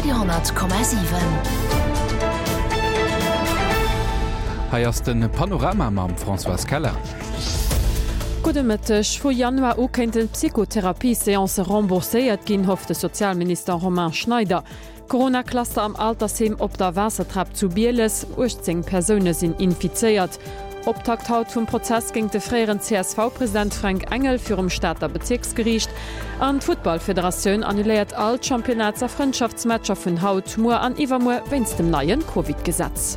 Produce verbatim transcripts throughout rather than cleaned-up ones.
Radio honnert Komma siwen. Hei ass de Panorama mam Françoise Keller. Gudde Mëtteg. Vu Januar u kéinten d'Psychotherapie-Seancë rembourséiert ginn, hofft de Sozialminister Romain Schneider. Corona-Cluster am Altersheem op der Waassertrap zu Bieles, uechtzéng Persoune sinn infizéiert. Optakt haut vum Prozess géint de fréieren C S V-President Fränk Engel virum Stater Bezierksgeriicht. An d'Futtballfederatioun annuléiert all d'Championnats a Frëndschaftsmatcher vun haut, muer an iwwermuer wéinst dem neien Covid-Gesetz.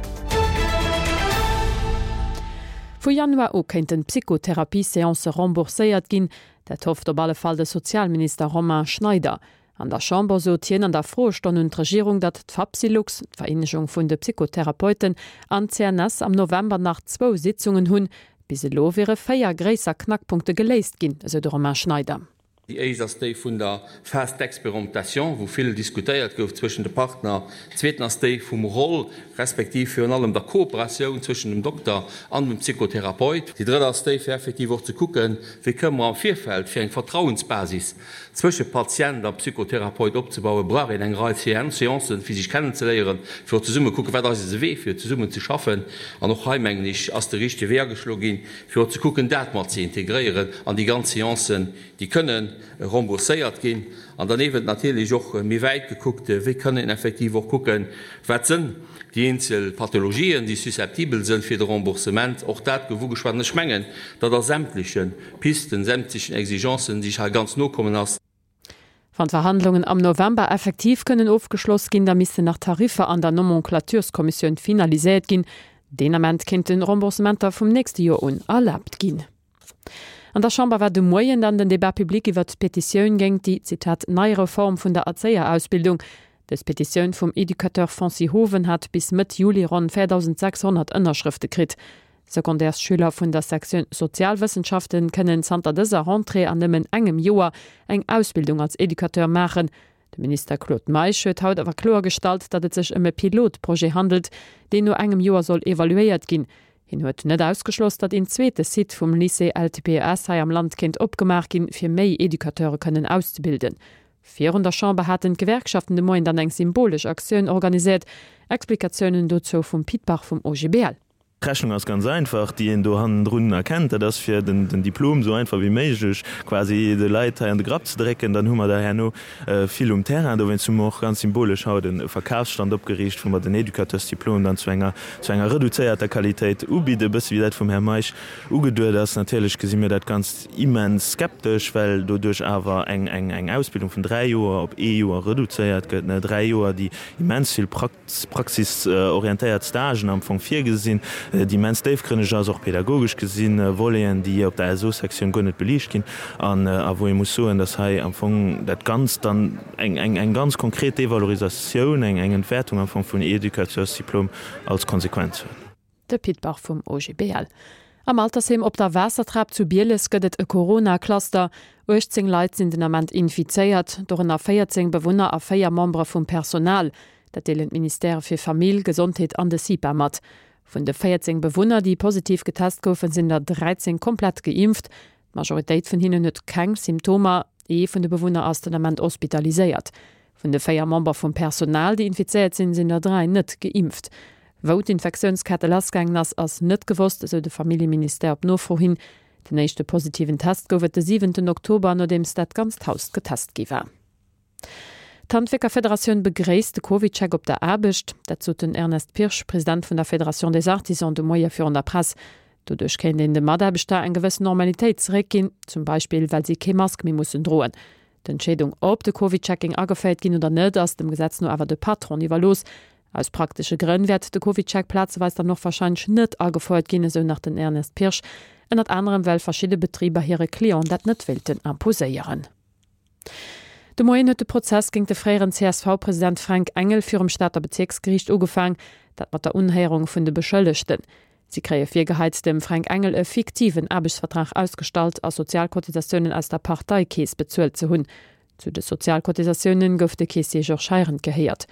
Vu Januar u kéinten d'Psychotherapie-Seancë rembourséiert ginn. Dat hofft op alle Fall de Sozialminister Romain Schneider. An der Chamber sot hien an der Froestonn un d'Regierung, datt d'Fapsylux, d'Vereenegung vun de Psychotherapeuten, an d'C N S am November nach zwou Sitzungen hunn. Bis elo wiere véier gréisser Knackpunkte geléist ginn, esou de Romain Schneider. Déi éischt ass déi vun der Phase d'expérimentation, wou vill diskutéiert gouf zwëschen de Partner. D'zweeten ass déi vum Rôle, respektiv virun allem der Kooperatioun zwëschen dem Dokter an dem Psychotherapeut. Déi drëtt ass déi, fir effektiv och ze kucken, wéi kënnen mer am Virfeld, fir eng Vertrauensbasis zwësche Patient a Psychotherapeut opzebauen, brauch een eng Rei Seancen, fir sech kennenzeléieren, fir och zesumme kucken, wat ass eise Wee, fir zesummen ze schaffen. An och hei, mengen ech, ass de richtege Wee ageschloe ginn, fir och ze kucken, dat mat ze integréieren an déi ganz Seancen, déi kënnen rembourséiert ginn. An dann eeben natierlech och méi wäit gekuckt, wéi kann een effektiv och kucken, wat sënn déi eenzel Pathologien, déi susceptibel sënn fir de Remboursement. Och dat gouf ugeschwat. An ech mengen, datt a sämtleche Pisten, sämtlechen Exigencen, déi ech hei ganz no kommen ass. Wann d'Verhandlungen am November effektiv kënnen ofgeschloss ginn, da missten nach d'Tariffer an der Nomenclatureskommissioun finaliséiert ginn. Deen Ament kéinten Remboursementer vum nächste Joer un erlaabt ginn. An der Chamber war de Moien dann den Débat public iwwert d'Petitioun géint déi, Zitat, nei Reform vun der Erzéierausbildung. Dës Petitioun vum Educateur Francis Hoven hat bis Mëtt Juli ronn véierdausend sechshonnert Ënnerschrëfte kritt. Secondaires-Schüler vun der Sektioun Sozialwëssenschaften kënnen zanter dëser Rentrée an nëmmen engem Joer eng Ausbildung als Educateur maachen. De Minister Claude Meisch huet haut awer kloergestallt, datt et sech ëm e Pilotprojet handelt, deen no engem Joer soll evaluéiert ginn. Hien huet net ausgeschloss, datt een zweete Site vum Lycée L T P E S hei am Land kéint opgemaach ginn, fir méi Educateure kënnen auszebilden. Virun der Chamber haten d'Gewerkschaften de Moien dann eng symbolesch Aktioun organiséiert. Explikatiounen dozou vum Pit Bach vum O G B L. D'Rechnung ass ganz einfach, déi een do hannendrun erkennt, dat ass fir den den Diplom esou einfach wéi méiglech quasi de Leit hei an de Grapp ze drécken. Dann hu mer der herno vill um Terrain. Dowéinst hu mer och ganz symbolesch haut e Verkafsstand opgeriicht, wou mer den Educateursdiplom dann zu enger zu enger reduzéierter Qualitéit ubidden, e bësse wéi dat vum Här Meisch ugeduet ass. Natierlech gesi mir dat Ganzt immens skeptesch, well doduerch awer eng eng eng Ausbildung vun dräi Joer op ee Joer reduzéiert gëtt, dräi Joer, déi immens vill praxisorientéiert Stagen am Fong virgesinn, déi immens déifgrënneg ass, och pedagogesch gesinn, Voleten, déi op der S O-Sektioun guer net beliicht ginn an a wou ee muss soen, dass hei am Fong dat Ganzt dann eng eng eng ganz konkret Devalorisatioun, eng eng Entwäertung am Fong vun Educateursdiplom als Konsequenz huet. De Pit Bach vum O G B L. Am Altersheem op der Waassertrap zu Bieles gëtt et e Corona-Cluster. uechtzéng Leit sinn den Ament infizéiert, dorënner véierzéng Bewunner a véier Membere vum Personal. Dat deelen d'Ministèrë fir Famill, Gesondheet an de CIPA mat. Vun de véierzéng Bewunner, déi positiv getest goufen, sinn der dräizéng komplett geimpft. D'Majoritéit vun hinnen huet keng Symptomer. Ee vun de Bewunner ass den Ament hospitaliséiert. Vun de véier Member vum Personal, déi infizéiert sinn, sinn der dräi net geimpft. Wou d'Infektiounskette lassgaangen ass, ass net gewosst, esou de Familljeministère op Nofro hin. Den éischte positiven Test gouf et de siwenten Oktober, nodeems dat ganzt Haus getest gi war. D'Handwierkerfederatioun begréisst de CovidCheck op der Aarbecht. Dat sot den Ernest Pirsch, President vun der Fédération des Artisans, de Moie virun der Press. Doduerch kéint een de Mataarbechter eng gewëss Normalitéit zeréckginn, zum Beispill well si kee Mask méi mussen droen. D'Entscheedung, ob de CovidCheck géing ageféiert ginn oder net, ass dem Gesetz no awer de Patron iwwerlooss. Aus praktesche Grënn wäert de CovidCheck plazeweis dann och warscheinlech net agefouert ginn, esou nach den Ernest Pirsch, ënnert anerem well verschidde Betriber hire Clienten dat net wéilten imposéieren. De Moien huet de Prozess géint de fréieren C S V-President Fränk Engel virum Stater Bezierksgeriicht ugefaangen, dat mat der Unhéierung vun de Beschëllegten. Si kréie virgeheit, dem Fränk Engel e fiktiven Aarbechtsvertrag ausgestallt a Sozialcotisatiounen aus der Parteikeess bezuelt ze hunn. Zu de Sozialcotisatiounen gouf de Keessier Georges Heirendt gehéiert.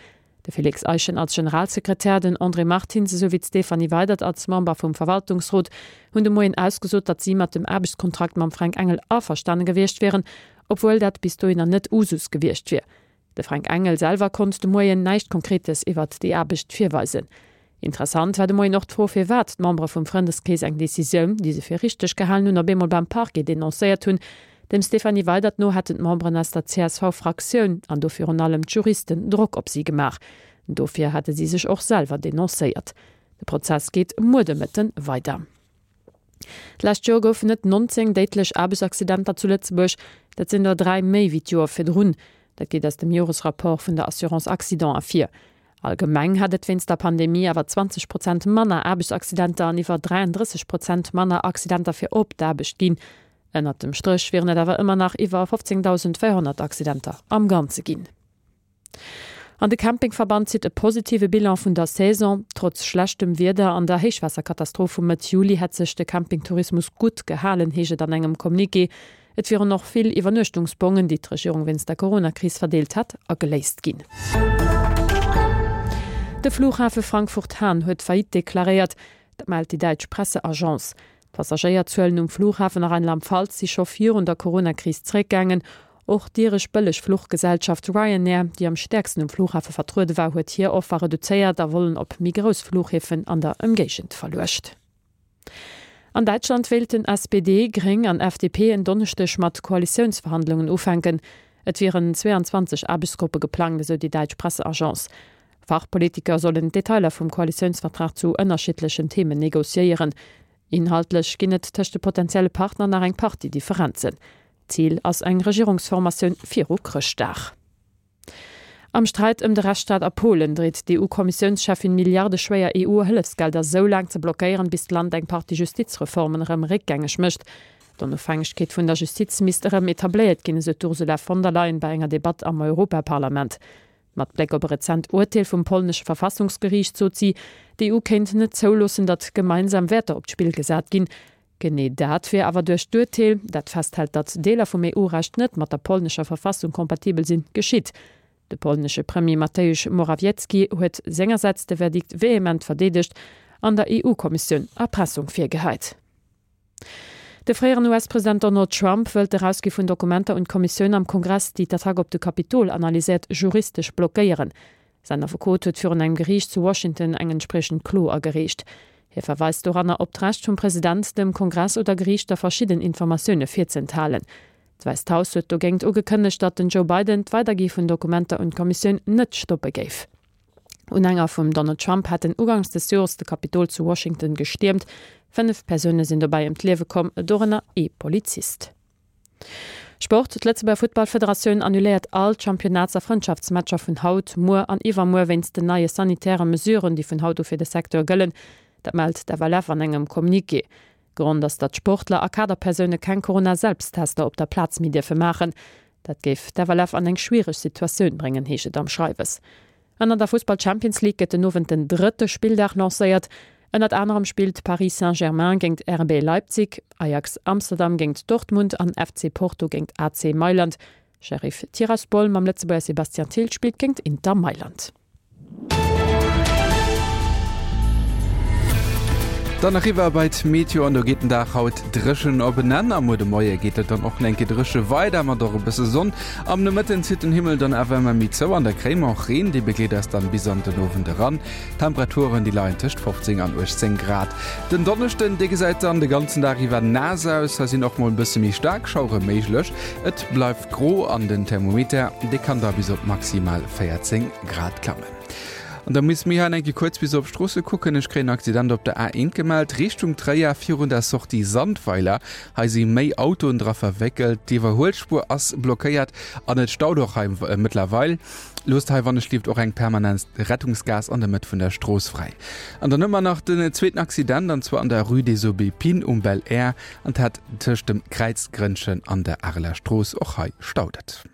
De Félix Eischen als Generalsekretär, den André Martins esouwéi d'Stéphanie Weydert als Member vum Verwaltungsrot hunn de Moien ausgesot, datt si mat dem Aarbechtskontrakt mam Fränk Engel averstane gewiescht wieren, obwuel dat bis dohinner net Usus gewiescht wier. De Frank Engel selwer konnt de Moien näischt Konkretes iwwert déi Aarbecht virweisen. Interessant war de Moien och d'Fro, firwat d'Membere vum Frëndeskrees eng Decisioun, déi se fir richteg gehalen hunn, op eemol beim Parquet denoncéiert hunn. Dem Stéphanie Weydert no hätten d'Memberen aus der C S V-Fraktioun, an do virun allem d'Juristen, Drock op si gemaach. Dofir hätte si sech och selwer denoncéiert. De Prozess geet muer de Mëtten weider. D'lescht Joer goufen et nonzéng déidlech Aarbechtsaccidenter zu Lëtzebuerg. Dat sinn der dräi méi wéi d'Joer virdrun. Dat geet aus dem Joresrapport vun der Assurance Accident ervir. Allgemeng hat et wéinst der Pandemie awer zwanzeg Prozent manner Aarbechtsaccidenter an iwwer dräiandrësseg Prozent manner Accidenter fir op d'Aarbecht ginn. Ënnert dem Stréch wieren et awer ëmmer nach iwwer fofzéngdausendvéierhonnert Accidenter am Ganze ginn. An de Campingverband zitt e positive Bilan vun der Saison. Trotz schlechtem Wieder an der Héichwaasserkatastroph vu Mëtt Juli hätt sech de Campingtourismus gutt gehalen, heescht et an engem Communiqué. Et wieren och vill Iwwernuechtungsbongen, déi d'Regierung wéinst der Coronakris verdeelt hätt, ageléist ginn. De Flughafe Frankfurt-Hahn huet Faillite deklaréiert, dat mellt déi däitsch Presseagence. D'Passagéierzuelen um Flughafen a Rheinland-Pfalz si scho virun der Coronakris zeréckgaangen. Och d'iresch Bëllegfluchgesellschaft Ryanair, déi am stäerksten um Flughafe vertruede war, huet hir Offer reduzéiert a Volen op méi grouss Flughäfen an der Ëmgéigend verluecht. An Däitschland wéilten S P D, Gréng an F D P en Donneschdeg mat Koalitiounsverhandlungen ufänken. Et wieren zweeanzwanzeg Aarbechtsgruppe geplangt, esou déi däitsch Presseagence. Fachpolitiker sollen d'Detailer vum Koalitiounsvertrag zu ënnerschiddlechen Themen negociéieren. Inhaltlech ginn et tëscht de potentielle Partner nach eng Partie Differenzen. Zil ass eng Regierungsformatioun viru Chrëschtdag. Am Sträit ëm de Rechtsstaat a Polen dreet d'E U-Kommissiounscheffin milliardeschwéier E U-Hëllefsgelder sou laang ze blockéieren, bis d'Land eng Partie Justizreformen erëm réckgängeg mécht. D'Onofhängegkeet vun der Justiz misst erëm etabléiert ginn, esou d'Ursula von der Leyen bei enger Debatt am Europaparlament. Mat Bléck op e rezent Urteel vum polnesche Verfassungsgeriicht sot si, d'E U kéint net zouloossen, datt gemeinsam Wäerter op d'Spill gesat ginn. Genee dat wier awer duerch d'Urteel, dat festhält, datt Deeler vum E U-Recht net mat der polnescher Verfassung kompatibel sinn, geschitt. De polnesche Premier Mateusz Morawiecki huet sengersäits de Verdikt vehement verdeedegt an der E U-Kommissioun Erpressung virgehäit. De fréieren U S-President Donald Trump wëllt d'Erausgi vun Dokumenter un d'Kommissioun am Kongress, déi d'Attack op de Kapitol analyséiert, juristesch blockéieren. Säin Affekot huet virun engem Geriicht zu Washington eng entspriechend Klo agereecht. Hie verweist doranner op d'Recht vum President, dem Kongress oder Geriichter verschidden Informatioune virzeenthalen. D'Wäisst Haus huet dogéint ugekënnegt, datt den Joe Biden d'Weidergi vun Dokumenter un d'Kommissioun net stoppe géif. Unhänger vum Donald Trump haten uganks des Joers de Kapitol zu Washington gestiermt. Fënnef Persoune sinn dobäi ëm d'Liewe komm, dorënner ee Polizist. Sport, D'Lëtzebuerger Futtballfederatioun annuléiert all d'Championnats a Frëndschaftsmatcher vun haut, muer an iwwermuer wéinst den neie sanitäre Mesuren, déi vun haut u fir de Secteur gëllen. Dat mellt d'F L F an engem Communiqué. Grond ass, datt Sportler a Kaderpersoune keng Corona-Selbsttester op der Plaz méi dierfe maachen. Dat géif d'F L F an eng schwiereg Situatioun bréngen, heescht et am Schreiwes. An an der Fussball-Champions League gëtt den Owend den drëtte Spilldag lancéiert. Ënnert anerem spillt Paris Saint-Germain géint R B Leipzig, Ajax Amsterdam géint Dortmund an F C Porto géint A C Mailand. Sheriff Tiraspol mam Lëtzebuerger Sébastien Thill spillt géint Inter Mailand. Dann eriwwer bei d'Meteo an do geet den Dag haut dréchen op en Enn. A muer de Moie geet et dann och nach eng Kéier dréche weider mat och e bësse Sonn. Am Nomëtten zitt den Himmel dann awer ëmmer méi zou an da kréie mer och Reen, dee begleet eis dann bis an den Owend eran. D'Temperaturen déi leien tëscht fofzéng an uechtzéng Grad. Den Donneschden dee gesäit dann de ganzen Dag iwwer naass aus, hei sinn och mol e bësse méi staark Schauere méiglech. Et bleift gro an den Thermometer dee kann da bis op maximal véierzéng Grad klammen. An da musse mir hei eng Kéier kuerz bis op d'Stroosse kucken. Ech kréien en Accident op der A eent gemellt, Richtung Tréier virun der Sortie Sandweiler. Hei si méi Autoen dra verwéckelt. D'Iwwerhuelspuer ass blockéiert an et staut och hei mëttlerweil. Loosst hei wannechgelift och eng permanent Rettungsgaass an der Mëtt vun der Strooss fräi. An dann hu mer nach den zweeten Accident, an zwar an der Rue des Aubépines um Belair an dat tëscht dem Kräizgrënnchen an der Areler Strooss. Och hei staut et.